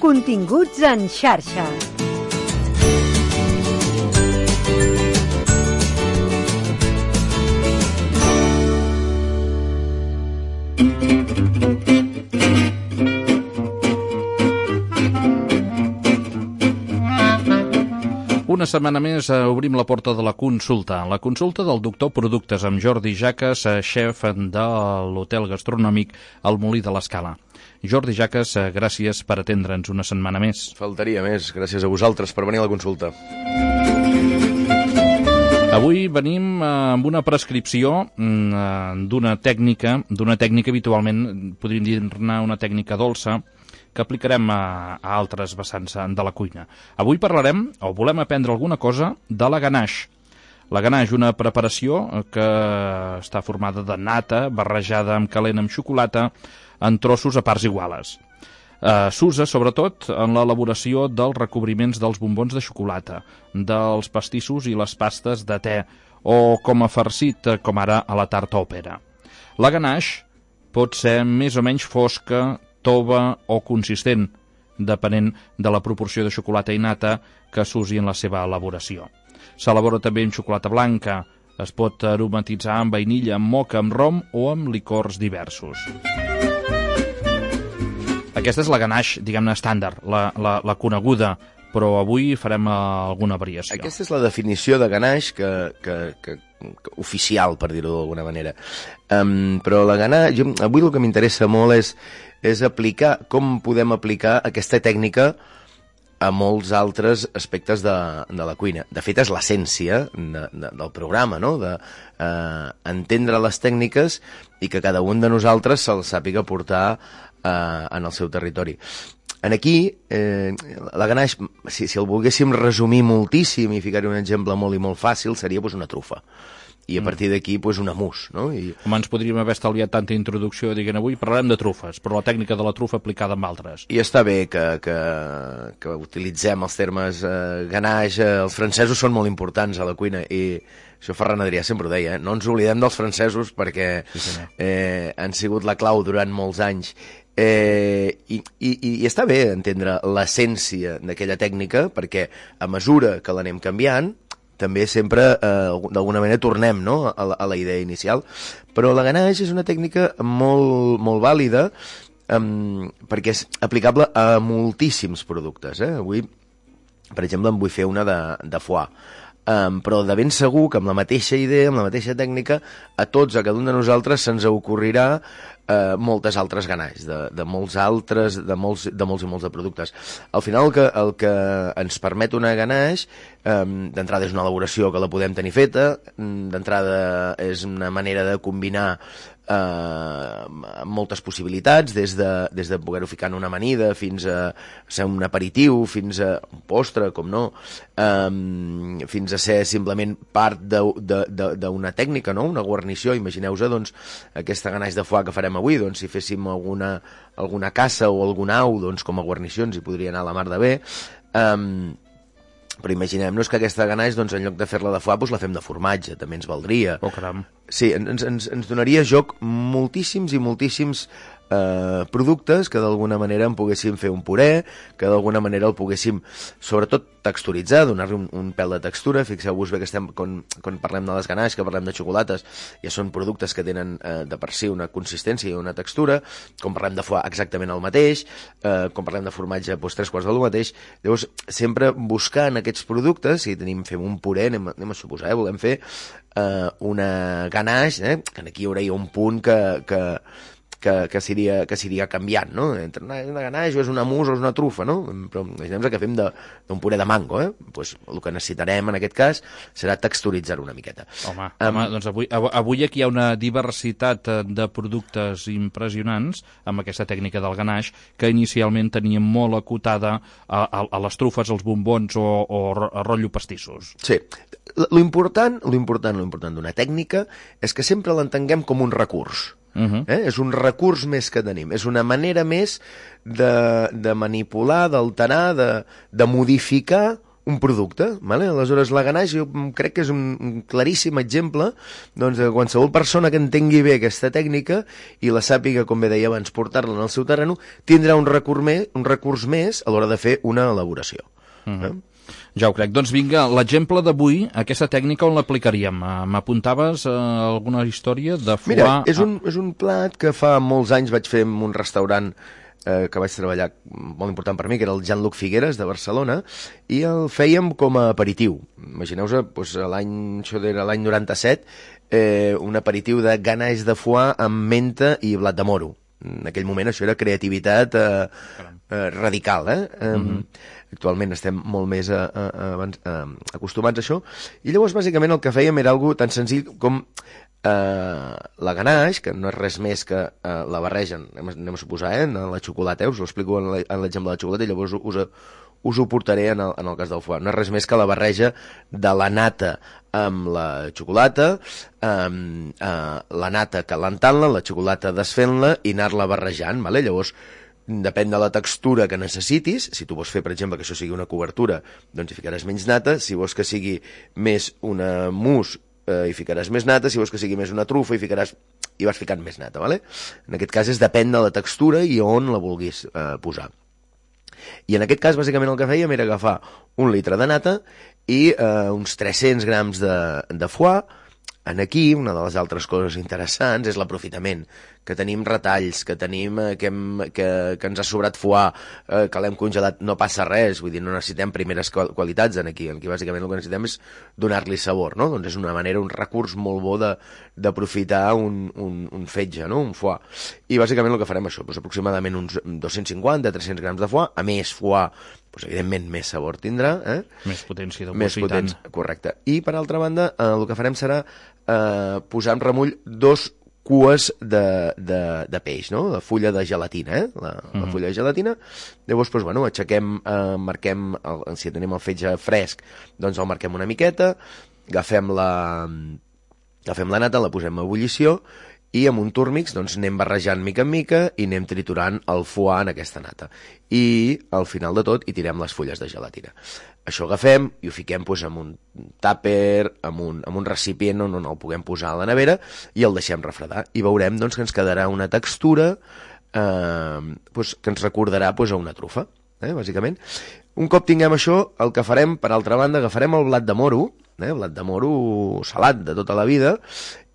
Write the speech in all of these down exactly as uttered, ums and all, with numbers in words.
Continguts en xarxa. Una setmana més eh, obrim la porta de la consulta. La consulta del doctor Productes amb Jordi Jaques, eh, xef de l'hotel gastronòmic El Molí de l'Escala. Jordi Jaques, eh, gràcies per atendre'ns una setmana més. Faltaria més. Gràcies a vosaltres per venir a la consulta. Avui venim eh, amb una prescripció eh, d'una tècnica, d'una tècnica habitualment, podríem dir-ne una tècnica dolça, que aplicarem a, a altres vessants de la cuina. Avui parlarem, o volem aprendre alguna cosa, de la ganache. La ganache, una preparació que està formada de nata, barrejada amb calent amb xocolata, en trossos a parts iguales. Eh, S'usa, sobretot, en l'elaboració dels recobriments dels bombons de xocolata, dels pastissos i les pastes de te, o com a farcit, com ara a la tarta o pera. La ganache pot ser més o menys fosca, tova o consistent, depenent de la proporció de xocolata i nata que s'usi en la seva elaboració. S'elabora també amb xocolata blanca, es pot aromatitzar amb vainilla, amb moca, amb rom o amb licors diversos. Aquesta és la ganache, diguem-ne, estàndard, la, la, la coneguda, però avui farem alguna variació. Aquesta és la definició de ganache que, que, que, que oficial, per dir-ho d'alguna manera. Um, però la ganache, jo, avui el que m'interessa molt és és aplicar, com podem aplicar aquesta tècnica a molts altres aspectes de, de la cuina. De fet, és l'essència de, de, del programa, no? De eh, entendre les tècniques i que cada un de nosaltres se'l sàpiga portar eh, en el seu territori. En aquí, eh, la ganache, si, si el volguéssim resumir moltíssim i ficar-hi un exemple molt i molt fàcil, seria pues, una trufa. I a partir d'aquí, pues, un amús, no? I... Home, ens podríem haver estalviat tanta introducció, diguem, avui parlarem de trufes, però la tècnica de la trufa aplicada amb altres. I està bé que, que, que utilitzem els termes eh, ganache, eh, els francesos són molt importants a la cuina, i això Ferran Adrià sempre ho deia, eh? No ens oblidem dels francesos perquè sí, eh, han sigut la clau durant molts anys. Eh, i, i, i està bé entendre l'essència d'aquella tècnica, perquè a mesura que l'anem canviant, també sempre, eh, d'alguna manera, tornem, no?, a, la, a la idea inicial. Però la ganache és una tècnica molt, molt vàlida um, perquè és aplicable a moltíssims productes. Eh? Avui, per exemple, en vull fer una de, de foie. Um, però de ben segur que amb la mateixa idea, amb la mateixa tècnica, a tots, a cada un de nosaltres, se'ns ocorrirà uh, moltes altres ganaches, de, de molts altres, de molts, de molts i molts de productes. Al final, el que, el que ens permet una ganache, um, d'entrada és una elaboració que la podem tenir feta, d'entrada és una manera de combinar Uh, moltes possibilitats, des de, des de poder-ho ficar en una amanida fins a ser un aperitiu, fins a un postre, com no, um, fins a ser simplement part d'una tècnica, no? Una guarnició. Imagineu-vos, doncs, aquesta ganache de foie que farem avui, doncs, si féssim alguna, alguna caça o algun au, doncs, com a guarnició ens hi podria anar a la mar de bé. Um, Però imaginem-nos que aquesta ganache, doncs, en lloc de fer-la de foie, doncs la fem de formatge, també ens valdria. Oh, caram. Sí, ens, ens, ens donaria joc moltíssims i moltíssims eh, productes que d'alguna manera en poguéssim fer un puré, que d'alguna manera el poguéssim, sobretot, texturitzar, donar-li un, un pèl de textura. Fixeu-vos bé que estem, quan, quan parlem de les ganaches, que parlem de xocolates, ja són productes que tenen eh, de per si una consistència i una textura. Com parlem de foie, exactament el mateix. Eh, com parlem de formatge, doncs tres quarts del mateix. Llavors, sempre buscant aquests productes, si tenim, fem un puré, anem, anem a suposar, eh, volem fer eh, una ganache, eh, que aquí hi hauria un punt que... que que, que s'aniria que s'aniria canviant, no? Entre una, una ganache o és una mousse o és una trufa, no? Però imaginem que fem d'un puré de mango, eh? Pues el que necessitarem en aquest cas serà texturitzar-ho una miqueta. Home, um, home doncs avui, avui aquí hi ha una diversitat de productes impressionants amb aquesta tècnica del ganache que inicialment teníem molt acotada a, a, a les trufes, als bombons o, o a rotllo pastissos. Sí. Lo important, lo important, lo important d'una tècnica és que sempre l'entenguem com un recurs. Uh-huh. eh? És un recurs més que tenim, és una manera més de, de manipular, d'alterar, de, de modificar un producte, vale? Aleshores la ganaix jo crec que és un, un claríssim exemple doncs, de qualsevol persona que entengui bé aquesta tècnica i la sàpiga, com bé deia abans, portar-la en el seu terreny, tindrà un recurs més, un recurs més a l'hora de fer una elaboració. Mm-hmm. eh? Ja ho crec. Doncs vinga, l'exemple d'avui, aquesta tècnica on l'aplicaríem? M'apuntaves a alguna història de foie... Mira, és un, és un plat que fa molts anys vaig fer en un restaurant eh, que vaig treballar, molt important per mi, que era el Jean-Luc Figueres, de Barcelona, i el fèiem com a aperitiu. Imagineu-vos, doncs, l'any, això era l'any noranta-set, eh, un aperitiu de ganaix de foie amb menta i blat de moro. En aquell moment això era creativitat eh, eh, radical, eh? eh mm-hmm. Actualment estem molt més a, a, a, a, acostumats a això, i llavors bàsicament el que fèiem era algo tan senzill com eh, la ganaix, que no és res més que eh, la barregen, anem, anem a suposar, eh, en la xocolata, eh, us ho explico en l'exemple de la xocolata, i llavors us, us ho portaré en el, en el cas del foie. No és res més que la barreja de la nata amb la xocolata, amb eh, la nata calentant-la, la xocolata desfent-la i anar-la barrejant, vale? Llavors depèn de la textura que necessitis. Si tu vols fer, per exemple, que això sigui una cobertura, doncs hi ficaràs menys nata. Si vols que sigui més una mousse, eh, hi ficaràs més nata. Si vols que sigui més una trufa, hi ficaràs... hi vas ficant més nata, vale? En aquest cas és depèn de la textura i on la vulguis eh, posar. I en aquest cas, bàsicament, el que fèiem era agafar un litre de nata i eh, uns tres-cents grams de, de foie. En aquí, una de les altres coses interessants és l'aprofitament, que tenim retalls, que tenim eh, que, hem, que, que ens ha sobrat foie, eh, que l'hem congelat, no passa res, vull dir, no necessitem primeres qualitats en aquí, aquí bàsicament el que necessitem és donar-li sabor, no? Doncs és una manera, un recurs molt bo d'aprofitar un, un, un fetge, no? Un foie. I bàsicament el que farem això, doncs aproximadament uns dos-cents cinquanta a tres-cents grams de foie, a més foie, doncs evidentment més sabor tindrà, eh? Més potència de més potència, correcte. I per altra banda, eh, el que farem serà eh, posar en remull dos cues de, de, de peix, no? De fulla de gelatina, eh? La, mm-hmm. la fulla de gelatina. Llavors, doncs, bueno, aixequem, eh, marquem, el, si tenim el fetge fresc, doncs el marquem una miqueta, agafem la, agafem la nata, la posem a ebullició, i amb un túrmix doncs, anem barrejant mica en mica i anem triturant el foie en aquesta nata. I al final de tot hi tirem les fulles de gelatina. Això agafem i ho fiquem doncs, en un tàper, en un, en un recipient on el puguem posar a la nevera i el deixem refredar. I veurem doncs, que ens quedarà una textura eh, doncs, que ens recordarà doncs, a una trufa, eh, bàsicament. Un cop tinguem això, el que farem, per altra banda, agafarem el blat de moro, eh, blat de moro salat de tota la vida,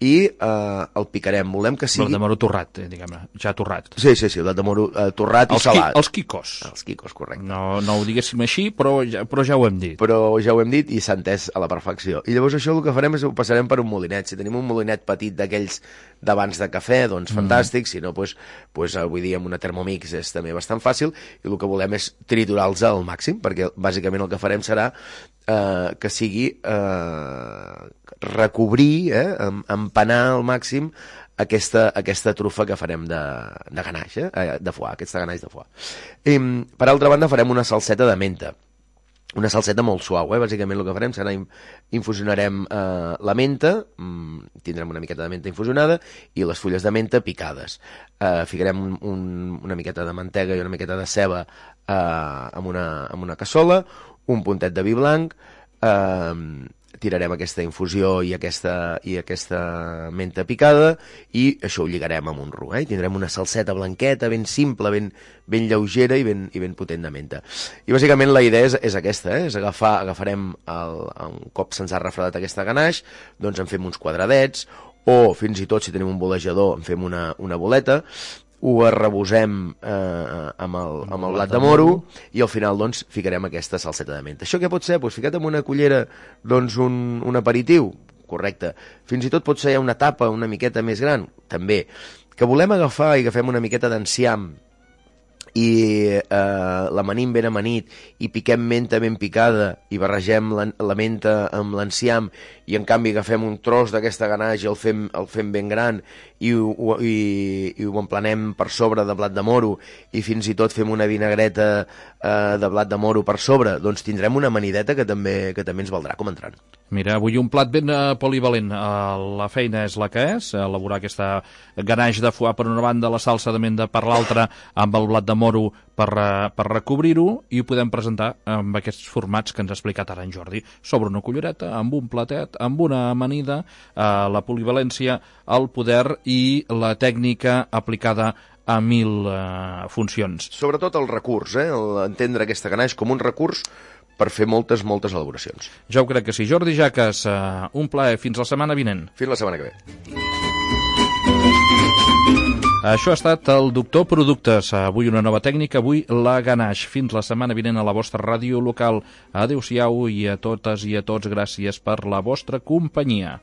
i eh, el picarem. Volem que sigui... Blat de moro torrat, eh, diguem-ne, ja torrat. Sí, sí, sí, blat de moro eh, torrat els i salat. Qui, els quicos. Els quicos, correcte. No, no ho diguéssim així, però ja, però ja ho hem dit. Però ja ho hem dit i s'ha entès a la perfecció. I llavors això el que farem és ho passarem per un molinet. Si tenim un molinet petit d'aquells d'abans de cafè, doncs mm. fantàstic. Si no, doncs, doncs, avui dia amb una Thermomix és també bastant fàcil. I el que volem és triturar-los al màxim, perquè bàsicament el que farem serà eh, que sigui eh, recobrir, eh, empanar al màxim aquesta, aquesta trufa que farem de, de ganaix, eh, de foie, aquesta ganaix de foie. I, per altra banda, farem una salseta de menta. Una salseta molt suau, eh? Bàsicament el que farem serà infusionarem eh, la menta, mm, tindrem una miqueta de menta infusionada i les fulles de menta picades. Eh, ficarem un, un, una miqueta de mantega i una miqueta de ceba eh, amb, una, amb una cassola, un puntet de vi blanc, eh, tirarem aquesta infusió i aquesta, i aquesta menta picada i això ho lligarem amb un roux, eh? I tindrem una salseta blanqueta, ben simple, ben, ben lleugera i ben, i ben potent de menta. I bàsicament la idea és, és aquesta, eh? És agafar, agafarem el, un cop se'ns ha refredat aquesta ganaix, doncs en fem uns quadradets, o fins i tot si tenim un bolejador en fem una, una boleta, ho arrebosem eh, amb, el, amb el blat de moro i al final doncs ficarem aquesta salseta de menta. Això què pot ser? Pues ficat amb una cullera doncs un, un aperitiu, correcte. Fins i tot pot ser una tapa una miqueta més gran, també. Que volem agafar i agafem una miqueta d'enciam i eh, l'amanim ben amanit i piquem menta ben picada i barregem la, la menta amb l'enciam i en canvi agafem un tros d'aquesta ganaix i el fem, el fem ben gran i ho, i, i ho emplanem per sobre de blat de moro i fins i tot fem una vinagreta eh, de blat de moro per sobre, doncs tindrem una amanideta que també, que també ens valdrà com entrant. Mira, avui un plat ben uh, polivalent. Uh, la feina és la que és, elaborar aquesta ganaix de foie per una banda, la salsa de menta per l'altra, amb el blat de moro per, per recobrir-ho i ho podem presentar amb aquests formats que ens ha explicat ara en Jordi, sobre una cullereta, amb un platet, amb una amanida, eh, la polivalència, el poder i la tècnica aplicada a mil eh, funcions. Sobretot el recurs, eh? Entendre aquesta ganaix com un recurs per fer moltes, moltes elaboracions. Jo ho crec que sí. Jordi Jaques, eh, un plaer. Fins la setmana vinent. Fins la setmana que ve. Això ha estat el Doctor Productes. Avui una nova tècnica, avui la ganaix. Fins la setmana vinent a la vostra ràdio local. Adéu-siau i a totes i a tots gràcies per la vostra companyia.